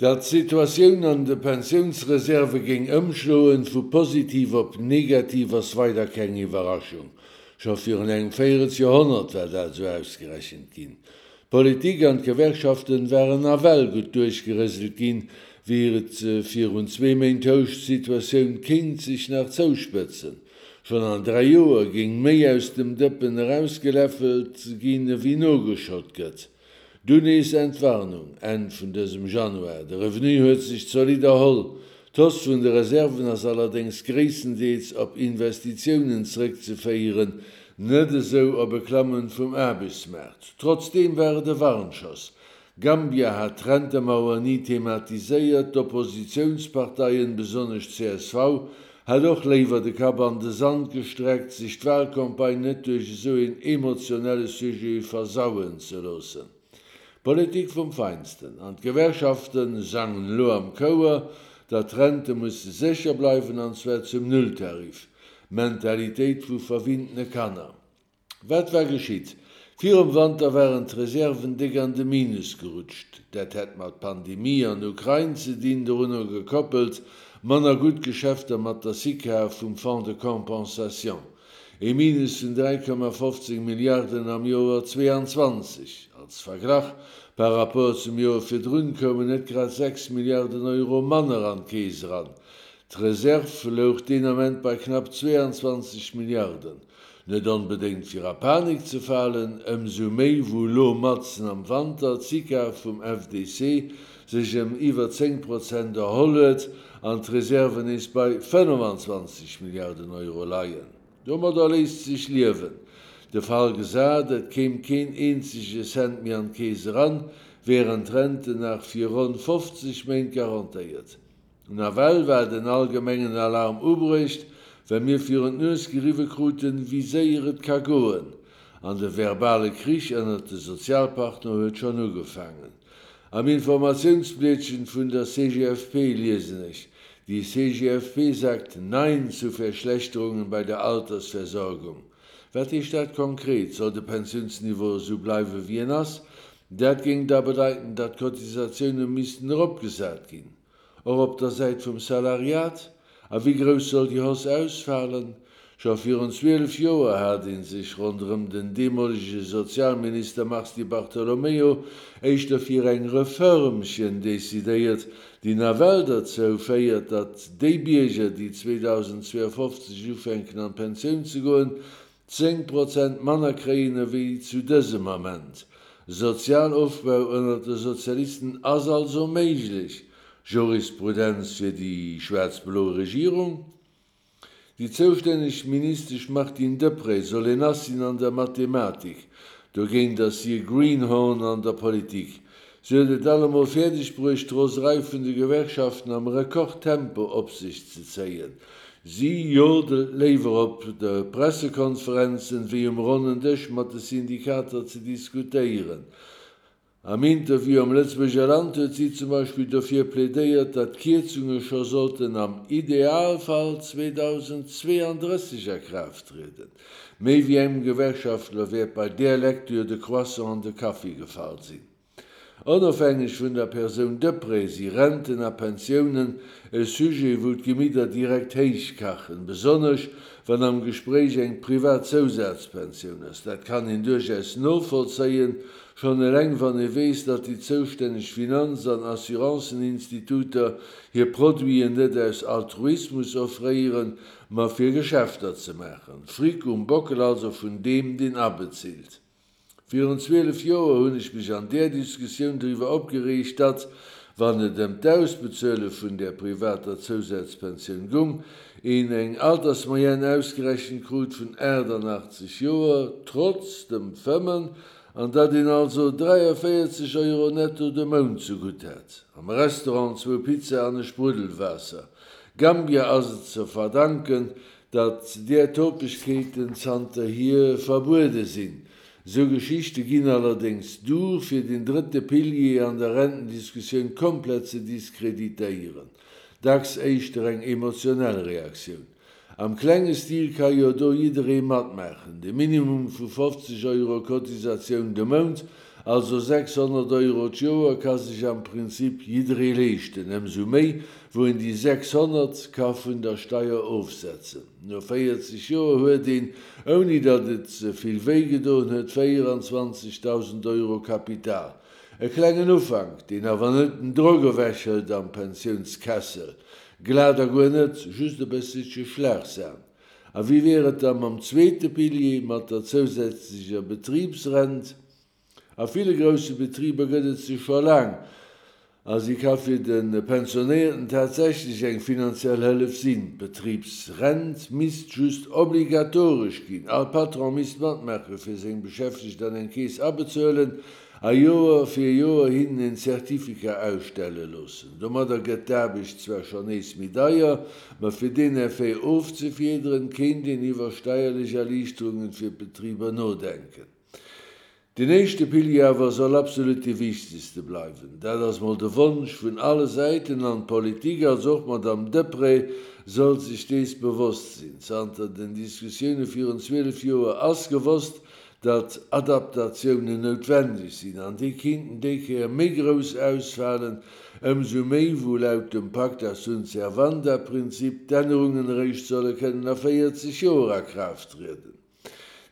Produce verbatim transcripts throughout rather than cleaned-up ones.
Datt d'Situatioun an de Pensiounsreserve géing ëmschloen, vu positiv op negativ, ass weider keng Iwwerraschung. Scho virun engem Véierelsjoerhonnert war dat esou ausgerechent ginn. D'Politik an d'Gewerkschaften waren nawell gutt duerchgerëselt ginn, wéi et virun zwee Méint housch, d'Situatioun kéint sech nach zouspëtzen. Schonn an dräi Joer géing méi aus dem Dëppen erausgeläffelt ginn, ewéi nogeschott gëtt. Dunn nees Entwarnung, Enn vun dësem Januar, de Revenu huet sech zolidd erholl. D'Hausse vun de Reserven ass allerdéngs gréisstendeels op Investitiounen zeréckzeféieren, net esou op e Klammen vum Aarbechtsmaart. Trotzdeem war et e Warnschoss. Gambia hat d'Rentemauer ni thematiséiert, d'Oppositiounsparteien, besonnesch C S V, hat och léiwer de Kapp an de Sand gestreckt, sech d'Wahlcampagne net duerch esou een emotionelle Sujet versauen ze loossen. Politik vum Feinsten. An d'Gewerkschaften sangen elo am Chouer, datt d'Rente musse sécher bleiwen, an zwar zum Nulltarif. Mentalitéit vu verwinntene Kanner. Wat war geschitt? Virum Wanter waren d'Reserven déck an de Minus gerutscht. Dat hätt mat Pandemie an Ukrain ze dinn, dorunner gekoppelt manner gutt Geschäfter mat der SICAR vum Fonds de compensation. E Minus vun dräi Komma fofzéng Milliarden am Joer zweeanzwanzeg. Als Verglach, par rapport zum Joer virdrun koumen net grad sechs Milliarden Euro manner an d'Keess eran. D'Reserv louch deen Ament bei knapp zweeanzwanzeg Milliarden. Net onbedéngt fir a Panik ze falen, ëmsou méi wou elo matzen am Wanter d'SICAR vum F D C sech ëm iwwer zéng Prozent erholl huet an d'Reserven nees bei fënnefanzwanzeg Milliarden Euro leien. Domadder léisst sech liewen. De Fall gesat, et kéim keen eenzege Cent méi an d'Keess eran, wären d'Renten nach fir ronn fofzeg Méint garantéiert. Nawell war den allgemengen Alarm ubruecht, well mir virun d'Nues geriwwe kruten, wéi séier et ka goen. An de verbale Krich ënnert de Sozialpartner huet schonn ugefaangen. Am Informatiounsblietchen vun der C G F P liesen ech: Die C G F P sagt Nein zu Verschlechterungen bei der Altersversorgung. Wat heescht dat konkret? Soll de Pensiounsniveau esou bleiwe wéi en ass? Dat géing da bedeiten, datt d'Cotisatioune missten eropgesat ginn. Och op der Säit vum Salariat? A wéi grouss soll déi Hausse ausfalen? Scho virun zwielef Joer hat een sech ronderëm den deemolege Sozialminister Mars Di Bartolomeo éischter fir eng Reformchen decidéiert, déi nawell derzou féiert, datt déi Bierger, déi zweedausendzweeënfofzeg ufänken an d'Pensioun ze goen, zéng Prozent manner kréien ewéi zu dësem Ament. Sozialofbau ënner de Sozialisten ass also méiglech. Jurisprudenz fir déi schwaarz-blo Regierung? Déi zoustänneg Ministesch Martine Deprez soll een Ass sinn an der Mathematik. Dogéint ass si e Greenhorn an der Politik. Si huet et allemol fäerdeg bruecht, d'Roserei vun de Gewerkschaften am Rekordtempo op sech ze zéien. Si jodelt léiwer op de Pressekonferenzen, wéi um ronnen Dësch mat de Syndikater ze diskutéieren. Am Interview am Lëtzebuerger Land huet si zum Beispill dofir plädéiert, datt d'Kierzunge scho sollten am Idealfall zweedausendzweeëndrësseg a Kraaft trieden. Méi wéi engem Gewerkschaftler wäert bei där Lektür de Croissant an de Kaffi gefall sinn. Onofhängeg vun der Persoun Deprez si Renten a Pensiounen e Sujet, wou d'Gemidder direkt héich kachen, besonnesch wann am Gespréich eng privat Zousazpensioun ass. Dat kann een duerchaus novollzéien, schonn eleng wann ee weess, datt déi zoustänneg Finanz- an Assurancen-Instituter hir Produiten net aus Altruismus offréieren, ma fir Geschäfter ze maachen. Fric um Bockel also vun deem, deen abezilt. Virun zwielef Joer hunn ech mech an där Diskussioun driwwer opgereegt, datt, wann et ëm d'Ausbezuele vun der privater Zousazpensioun gung, een eng Altersmoyenne ausgerechent krut vun achtundachtzeg Joer, trotz dem Fëmmen, an datt een also dräiundvéierzeg Euro netto de Mount zegutt hat. Am Restaurant zwou Pizza an e Sprudelwaasser. Gambia ass et ze verdanken, datt där Topegkeeten zanterhier verbuede sinn. Sou Geschichte ginn allerdéngs duer, fir den drëtte Pilier an der Rentendiskussioun komplett ze diskreditéieren. Dacks éischter eng emotionell Reaktioun. Am klenge Stil ka jo do jidderee matmaachen. De Minimum vu fofzeg Euro Cotisatioun de Mount also sechshonnert Euro d'Joer, ka sech am Prinzip jidderee leeschten, ëmsou méi, wou een déi sechshonnert ka vun der Steier ofsetzen. No véierzeg Joer huet een, ouni datt et ze vill wéi gedoen huet, véieranzwanzegdausend Euro Kapital. E klengen Ufank, deen awer net den Drock ewechhëlt am Pensiounskessel. Glat a guer net, just e bësselche Schlagsahn. A wéi wier et da mam zweete Pilier, mat der zousätzlecher Betribsrent? A ville grousse Betriber gëtt et se scho laang a si ka fir de Pensionéierten tatsächlech eng finanziell Hëllef sinn. D'Betribsrent misst just obligatoresch ginn, all Patron misst matmaache fir seng Beschäftegt an eng Keess abezuelen a Joer fir Joer hinnen en Certificat ausstelle loossen. Domadder gëtt d'Aarbecht zwar schonn nees méi deier, ma fir deen Effet ofzefiederen, kéint een iwwer steierlech Erliichterungen fir d'Betriber nodenken. Deen éischte Pilier awer soll absolut dee wichtegste bleiwen. Dat ass mol de Wonsch vun alle Säiten an d'Politik, also och d'Madame Deprez, soll sech dees bewosst sinn. Zanter den Diskussioune virun zwielef Joer ass gewosst, datt Adaptatiounen noutwendeg sinn an déi kéinten déi Kéier méi grouss ausfalen, ëmsou méi wou laut dem Pacta sunt servanda-Prinzip d'Ännerungen eréischt solle kënnen a véierzeg Joer a Kraaft trieden.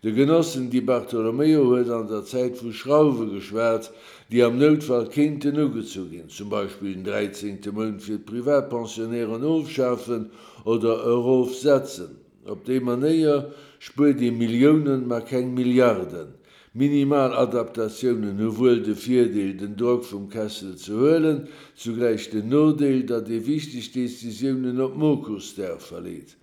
De Genossen Di Bartolomeo huet an der Zäit vu Schrauwe geschwat, déi am Noutfall kéinten ugezu ginn, zum Beispill den dräizéngte Mount fir d'Privatpensionnairen ofschafen oder erofsetzen. Op déi Manéier spuert ee Milliounen, ma keng Milliarden. Minimal Adaptatiounen hu wuel de Virdeel, den Drock vum Kessel ze huelen, zugläich den Nodeel, datt ee wichteg Decisiounen op Mokussdag verleet.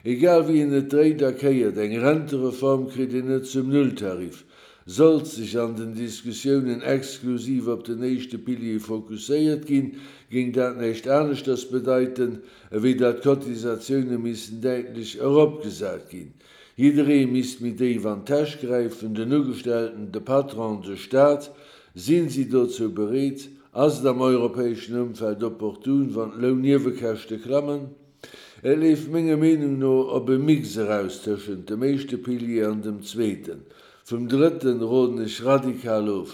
Egal wéi een et dréit a kéiert, eng Rentereform kritt een net zum Nulltarif. Sollt sech an den Diskussiounen exklusiv op den éischte Pilier fokusséiert ginn, géing dat näischt aneschters bedeiten, ewéi datt d'Cotisatioune missten däitlech eropgesat ginn. Jidderee misst méi déif an d'Täsch gräifen, den Ugestellten, de Patron, de Staat. Sinn si dozou bereet? Ass et am europäeschen Ëmfeld opportun, wann d'Lounniewekäschte klammen? Et leeft menger Meenung no op e Mix eraus tëschent dem éischte Pilier an dem zweeten. Vum drëtten roden ech radikal of.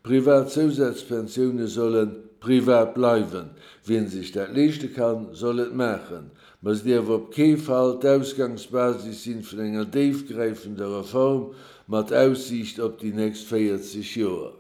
Privat Zousazpensioune solle privat bleiwen. Wien sech dat leeschte kann, soll et maachen. Ma se dierf op kee Fall d'Ausgangsbasis sinn vun enger déifgräifender Reform mat Aussiicht op déi nächst véierzeg Joer.